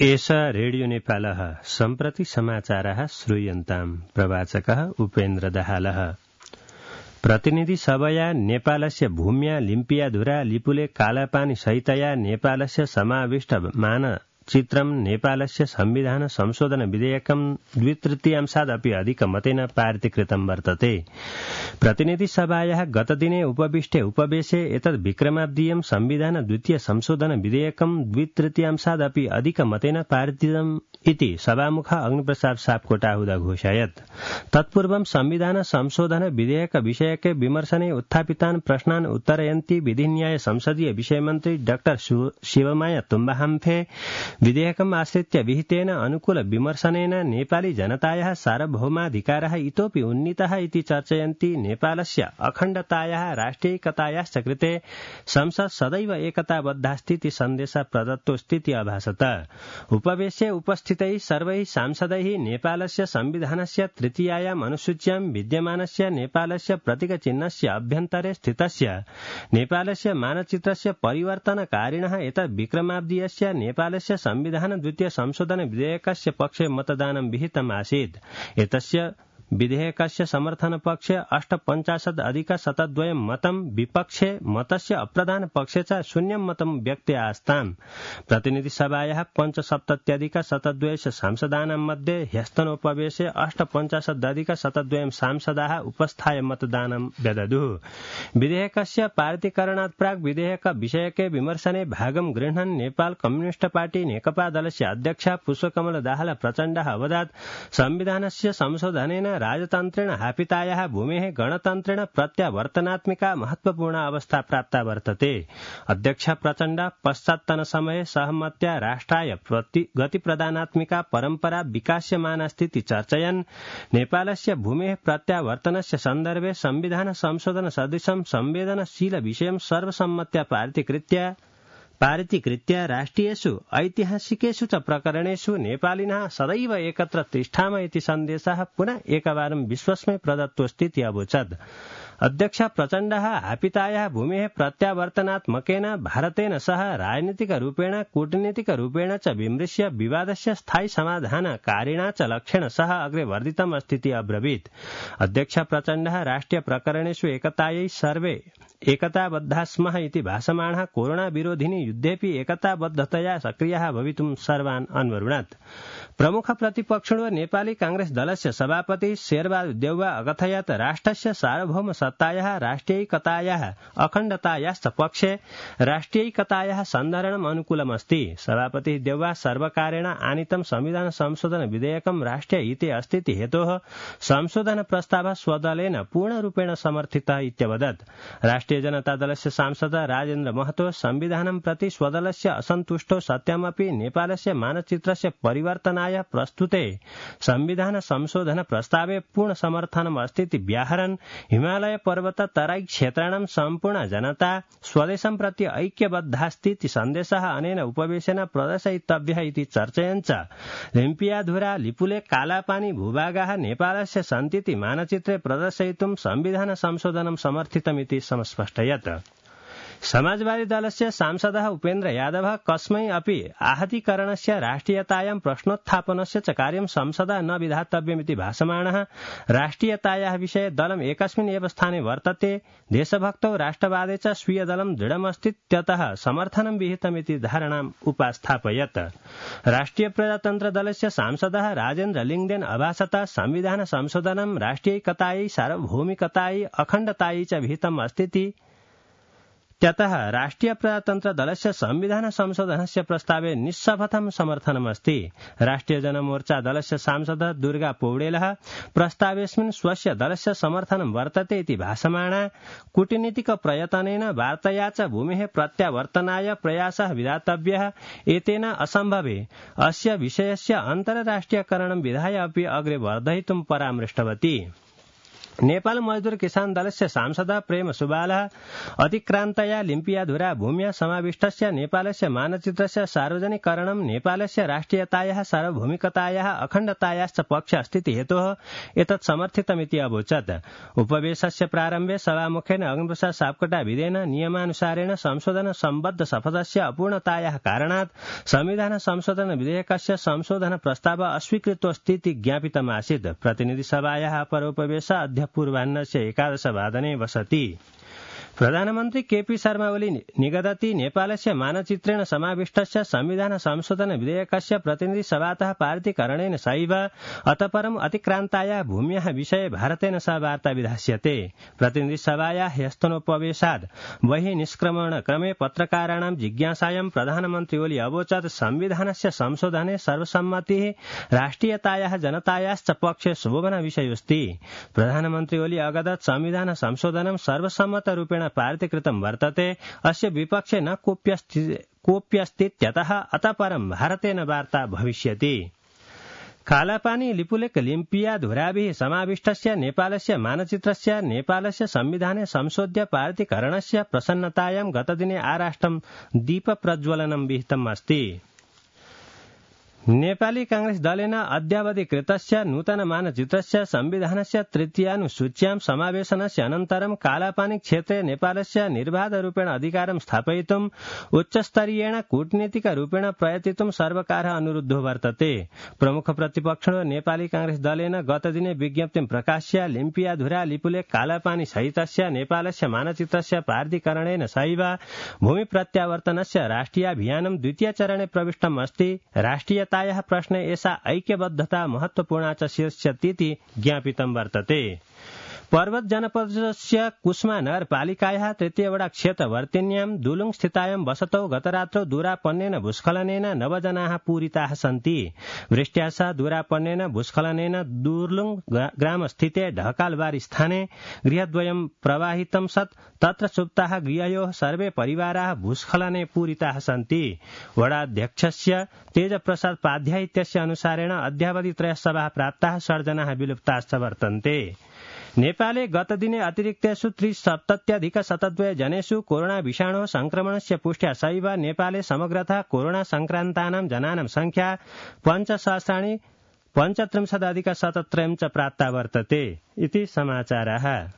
एषा रेडियो नेपालः सम्प्रति समाचारः श्रूयन्ताम्। प्रवाचकः उपेन्द्र दाहालः। प्रतिनिधि सभया नेपालस्य भूम्या लिम्पियाधुरा लिपुले कालापानी सहितया नेपालस्य समाविष्ट मानचित्रं नेपालस्य संविधान संशोधन विधेयकं 2/3 अधिक मतेन पारितीकृतं वर्तते। प्रतिनिधि सभायाः गतदिने उपविष्टे उपवेशे एतद् विक्रमाब्दीयं संविधान द्वितीय संशोधन विधेयकं 2/3 अधिक मतेन पारितम् इति सभामुख अग्निप्रसाद सापकोटाहुदा घोषयत्। तत्पूर्वं संविधान संशोधन विधेयक विषयके विमर्शने उत्थापितान् प्रश्नान् उत्तरयन्ती विधिन्याय संसदीय विषयमन्त्री डाक्टर शिवमाया तुम्बाहाम्फे विधेयकम् आश्रित्य विहितेन अनुकूल विमर्शनेन नेपाली जनतायाः सार्वभौमाधिकारः इतोपि उन्नीतः इति चर्चयन्ती नेपालस्य अखण्डतायाः राष्ट्रियैकतायाश्च कृते संसद सदैव एकताबद्धास्तीति सन्देशः प्रदत्तोऽस्तीति अभासत। उपवेशे उपस्थितैः सर्वैः सांसदैः नेपालस्य संविधानस्य तृतीयायाम् अनुसूच्यां विद्यमानस्य नेपालस्य प्रतीकचिह्नस्य अभ्यन्तरे स्थितस्य नेपालस्य मानचित्रस्य परिवर्तनकारिणः एतत् विक्रमाब्दीयस्य नेपालस्य संविधान द्वितीय संशोधन विधेयकस्य पक्षे मतदानं विहितम् आसीत्। एतस्य विधेयकस्य समर्थन पक्षे 58% मतं, विपक्षे मतस्य अप्रधान पक्षे च 0 मतं व्यक्ते आस्ताम्। प्रतिनिधि सभायाः 75% सांसदानां मध्ये ह्यस्तनोपवेशे 58% सांसदाः उपस्थाय मतदानं व्यदधुः। विधेयकस्य पारितीकरणात् प्राक् विधेयक विषयके विमर्शने भागं गृह्णन् नेपाल कम्युनिस्ट पार्टी नेकपा दलस्य अध्यक्षा पुष्पकमल दाहाल प्रचण्डः अवदत् संविधानस्य संशोधनेन राजतन्त्रेण हापितायाः भूमेः गणतन्त्रेण प्रत्यावर्तनात्मिका महत्वपूर्णा अवस्था प्राप्ता वर्तते। अध्यक्ष प्रचण्ड पश्चात्तनसमये सहमत्या राष्ट्राय गतिप्रदानात्मिका परम्परा विकास्यमानास्तीति चर्चयन् नेपालस्य भूमेः प्रत्यावर्तनस्य सन्दर्भे संविधान संशोधन सदृशं संवेदनशील विषयं सर्वसम्मत्या पारितीकृत्य राष्ट्रियेषु ऐतिहासिकेषु च प्रकरणेषु नेपालिनः सदैव एकत्र तिष्ठाम इति सन्देशः पुनः एकवारं विश्वस्मै प्रदत्तोऽस्तीति अवोचत्। अध्यक्ष प्रचण्डः हापितायाः भूमेः प्रत्यावर्तनात्मकेन भारतेन सह राजनीतिकरूपेण कूटनीतिकरूपेण च विमृश्य विवादस्य स्थायी समाधानकारिणा च लक्ष्येण सह अग्रे वर्धितम् अस्तीति अब्रवीत्। अध्यक्ष प्रचण्डः राष्ट्रिय प्रकरणेषु एकतायै सर्वे एकताबद्धा स्मः इति भाषमाणः कोरोना विरोधिनी युद्धेऽपि एकताबद्धतया सक्रियः भवितुं सर्वान् अन्वरुणत्। प्रमुख प्रतिपक्षिणो नेपाली कांग्रेस दलस्य सभापति शेरबहादुर देउवा अकथयत् राष्ट्रस्य सार्वभौम सत्तायाः राष्ट्रियैकतायाः अखण्डतायाश्च पक्षे राष्ट्रियैकतायाः सन्धारणम् अनुकूलमस्ति। सभापति देउवा सर्वकारेण आनीतं संविधान संशोधन विधेयकं राष्ट्रियहिते अस्तीति हेतोः संशोधन प्रस्तावः स्वदलेन पूर्णरूपेण समर्थितः इत्यवदत्। राष्ट्रिय जनता दलस्य सांसद राजेन्द्र महतो संविधानं प्रति स्वदलस्य असन्तुष्टो सत्यमपि नेपालस्य मानचित्रस्य परिवर्तनाय प्रस्तुते संविधान संशोधन प्रस्तावे पूर्ण समर्थनम् अस्तीति व्याहरन् हिमालय पर्वत तराई क्षेत्राणां सम्पूर्ण जनता स्वदेशं प्रति ऐक्यबद्धास्तीति सन्देशः अनेन उपवेशेन प्रदर्शयितव्यः इति चर्चयन् च लिम्पियाधुरा लिपुले कालापानी भूभागाः नेपालस्य सन्तीति मानचित्रे प्रदर्शयितुं संविधान संशोधनं समर्थितमिति समस्पष्टयत्। समाजवादी दलस्य सांसदः उपेन्द्र यादवः कस्मै अपि आहतीकरणस्य राष्ट्रियतायां प्रश्नोत्थापनस्य च कार्यं संसदा न विधातव्यमिति भाषमाणः राष्ट्रियतायाः विषये दलम् एकस्मिन् एव स्थाने वर्तते। देशभक्तौ राष्ट्रवादे च स्वीय दलं दृढमस्तीत्यतः समर्थनं विहितमिति धारणाम् उपास्थापयत्। राष्ट्रिय प्रजातन्त्र दलस्य सांसदः राजेन्द्र लिङ्गदेन अभासत संविधान संशोधनं राष्ट्रियैकतायै सार्वभौमिकतायै अखण्डतायै च विहितम् अस्तीति त्यतः राष्ट्रिय प्रजातन्त्र दलस्य संविधान संशोधनस्य प्रस्तावे निःशपथं समर्थनमस्ति। राष्ट्रिय जनमोर्चा दलस्य सांसद दुर्गा पौडेलः प्रस्तावेऽस्मिन् स्वस्य दलस्य समर्थनं वर्तते इति भाषमाणा कूटनीतिक प्रयत्नेन वार्तया च भूमेः प्रत्यावर्तनाय प्रयासः विधातव्यः। एतेन असम्भवे अस्य विषयस्य अन्तर्राष्ट्रियकरणं विधाय अपि अग्रे वर्धयितुं परामृष्टवती। नेपाल मजदूर किसान दलस्य सांसद प्रेम सुबालः अतिक्रान्तया लिम्पियाधुरा भूम्या समाविष्टस्य नेपालस्य मानचित्रस्य सार्वजनिकरणं नेपालस्य राष्ट्रियतायाः सार्वभौमिकतायाः अखण्डतायाश्च पक्ष अस्तीति हेतोः एतत् समर्थितमिति अवोचत्। उपवेशस्य प्रारम्भे सभामुखेन अग्निप्रसाद सापकोटा विधेन नियमानुसारेण संशोधन सम्बद्ध शपथस्य अपूर्णतायाः कारणात् संविधान संशोधन विधेयकस्य संशोधन प्रस्ताव अस्वीकृतोऽस्तीति ज्ञापितमासीत्। प्रतिनिधिसभायाः अपरोपवेश अद्य पूर्वाह्नस्य 11:00 वसति। प्रधानमन्त्री केपी शर्मा ओली निगदति नेपालस्य मानचित्रेण समाविष्टस्य संविधान संशोधन विधेयकस्य प्रतिनिधि सभातः पारितीकरणेन सैव अतः अतिक्रान्तायाः भूम्याः विषये भारतेन सह वार्ता विधास्यते। प्रतिनिधि सभायाः ह्यस्तनोपवेशाद् बहिः निष्क्रमण क्रमे पत्रकाराणां जिज्ञासायां प्रधानमन्त्री ओली अवोचत् संविधानस्य संशोधने सर्वसम्मतिः राष्ट्रियतायाः जनतायाश्च पक्षे शोभनविषयोऽस्ति। प्रधानमन्त्री ओली अगदत् संविधान संशोधनं सर्वसम्मतरूपेण पारितीकृतं वर्तते। अस्य विपक्षे न कोऽप्यस्तीत्यतः अतः परं भारतेन वार्ता भविष्यति। कालापानी लिपुलेक लिम्पियाधुराभिः समाविष्टस्य नेपालस्य मानचित्रस्य नेपालस्य संविधाने संशोध्य पारितीकरणस्य प्रसन्नतायां गतदिने आराष्ट्रं दीपप्रज्वलनं विहितम् अस्ति। नेपाली कांग्रेस दलेन अद्यावधिकृतस्य नूतन मानचित्रस्य संविधानस्य तृतीयानुसूच्यां समावेशनस्य अनन्तरं कालापानी क्षेत्रे नेपालस्य निर्बाधरूपेण अधिकारं स्थापयितुं उच्चस्तरीयेण कूटनीतिकरूपेण प्रयतितुं सर्वकारः अनुरुद्धो वर्तते। प्रमुख प्रतिपक्षिणो नेपाली कांग्रेस दलेन गतदिने विज्ञप्तिं प्रकाश्य लिम्पियाधुरा लिपुलेक कालापानी सहितस्य नेपालस्य मानचित्रस्य पारितीकरणेन सैव भूमि प्रत्यावर्तनस्य राष्ट्रियाभियानं द्वितीय चरणे प्रविष्टम् अस्ति। राष्ट्रियतायाः प्रश्ने एषा ऐक्यबद्धता महत्वपूर्णा च शीर्ष्यतीति ज्ञापितं वर्तते। पर्वत जनपदस्य कुस्मा नगरपालिकायाः तृतीयवडा क्षेत्रवर्तिन्यां दुलुङ स्थितायां वसतौ गतरात्रौ दूरापन्नेन भूस्खलनेन 9 जनाः पूरिताः सन्ति। वृष्ट्या सह दूरापन्नेन भूस्खलनेन दुर्लुङ ग्रामस्थिते ढकालबारी स्थाने गृहद्वयं प्रवाहितं सत् तत्र सुप्ताः गृहयोः सर्वे परिवाराः भूस्खलने पूरिताः सन्ति। वडाध्यक्षस्य तेजप्रसाद पाध्याय इत्यस्य अनुसारेण अद्यावधि 3 शवाः प्राप्ताः, 6 जनाः विलुप्ताश्च वर्तन्ते। नेपाले गतदिने अतिरिक्तेषु 370,102 जनेषु कोरोना विषाणोः संक्रमणस्य पुष्ट्या सैव नेपाले समग्रतः कोरोना संक्रान्तानां जनानां संख्या 5,35,173 च प्राप्ता वर्तते इति समाचारः।